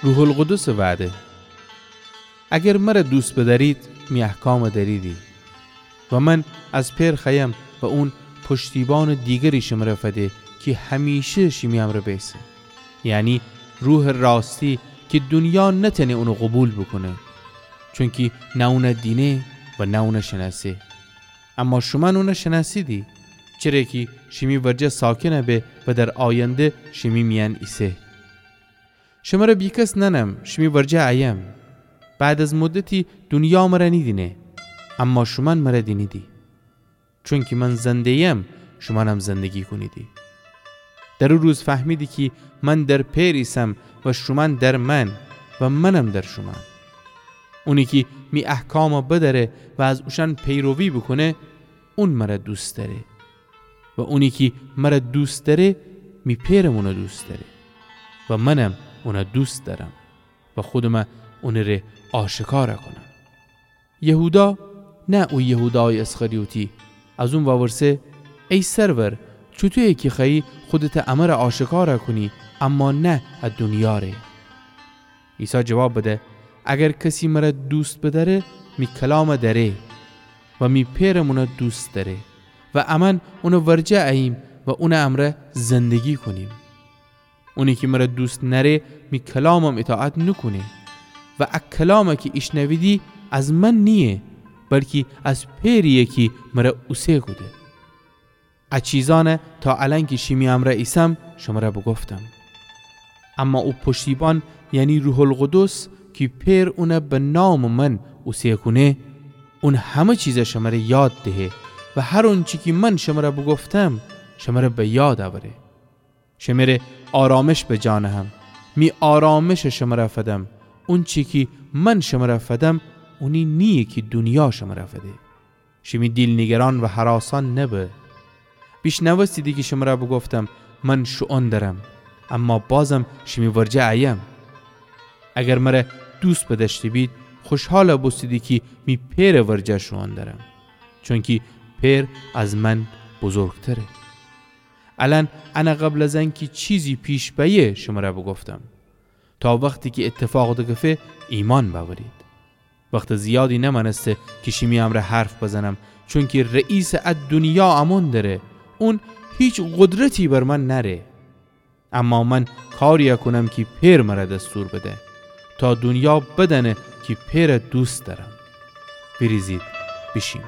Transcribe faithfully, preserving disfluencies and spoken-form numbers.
روح‌القدسٚ وعده. اگر مرَ دوست بدأرید، می احکامَ دأریدی. و من از پئر خوأیم و اون پشتیبانٚ دیگری شمرَ فده کی همیشه شیمی امرأ بیسه، یعنی روحٚ راستی کی دونیا نتأنه اونَ قوبیل بوکونه، چونکی نه اونَ دینه و نه اونَ شنأسه. اما شومأن اونَ شنأسیدی، چره کی شیمی ورجه ساکن به و در آینده شیمی میأن ایسه. شمرَ بیکس نأنم، شیمی ورجه أیم. بعد از مدتی دونیا مرَ نیدینه، اما شومأن مرَ دینیدی. چونکی من زنده‌یم، شومأنم زندگی کونیدی. در او روز فهمیدی کی من در پئر ایسم و شومأن در من و منم در شومأن. اونی کی می احکامَ بدأره و از اوشأن پیروی بوکونه، اون مرَ دوست دأره. و اونی کی مرَ دوست دأره، می پئرم اونَ دوست دأره و منم اونَ دوست دأرم و خودمَ اونٚ ره آشکارَ کونم. یهودا، نه او یهودایٚ اسخریوطی، از اون وورسه: ای سرور، چوطویه کی خوأیی خودتَ امرَ آشکارَ کونی، اما نه ا دونیا ره؟ عیسی جواب بده: اگر کسی مرَ دوست بدأره، می کلامَ دأره و می پئرم اونَ دوست دأره و امأن اونٚ ورجه أییم و اونٚ امرأ زندگی کونیم. اونی کی مرَ دوست نأره، می کلامم ایطاعت نوکونه. و ا کلام کی ایشنویدی از من نییه، بلکی از پئرییه کی مرَ اوسه کوده. ا چیزأنَ تا الأن کی شیمی امرأ ایسم، شمرَ بوگفتم. اما او پشتیبان، یعنی روح‌القدس، کی پئر اونَ به نامٚ من اوسه کونه، اون همه چیزَ شمرَ یاد دهه و هر اونچی کی من شمرَ بوگفتم، شمرَ به یاد اوره. شمره آرامش بجا نهم، می آرامشَ شمرَ فدم. اونچی کی من شمرَ فدم، اونی نییه کی دونیا شمرَ فده. شیمی دیل نیگران و هراسان نبه. بیشنوستیدی کی شمرَ بوگفتم: من شوئون درم، اما بازم شیمی ورجه أیم. اگر مرَ دوست بدأشته بید، خوشحال بوستیدی کی می پئرٚ ورجه شوئون درم، چونکی پئر از من بزرگتره. الأن انَ قبل از انکی چیزی پیش بأیه شمرَ بوگفتم، تا وختی کی ایتفاق دکفه ایمأن بأورید. وختٚ زیادی نمأنسته کی شیمی امرأ حرف بزنم، چونکی رئیسٚ ا دونیا امون دره. اون هیچ قدرتی بر من نأره. اما من کاریی کونم کی پئر مرَ دستور بده، تا دونیا بدأنه کی پئرَ دوست دأرم. ویریزید بیشیم.